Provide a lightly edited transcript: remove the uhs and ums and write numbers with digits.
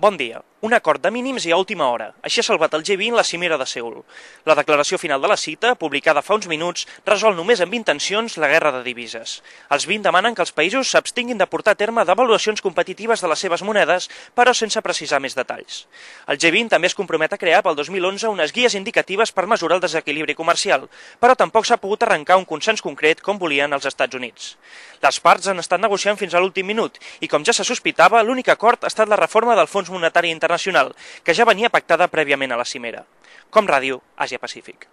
Bon dia. Un acord de mínims i a última hora. Així ha salvat el G20 la cimera de Seül. La declaració final de la cita, publicada fa uns minuts, resol només amb intencions la guerra de divises. Els 20 demanen que els països s'abstinguin de portar a terme devaluacions competitives de les seves monedes, però sense precisar més detalls. El G20 també es compromet a crear pel 2011 unes guies indicatives per mesurar el desequilibri comercial, però tampoc s'ha pogut arrencar un consens concret com volien els Estats Units. Les parts han estat negociant fins a l'últim minut i, com ja se sospitava, l'únic acord ha estat la reforma del Fons Monetari Internacional, que ja venia pactada prèviament a la cimera. Com Ràdio, Àsia Pacífic.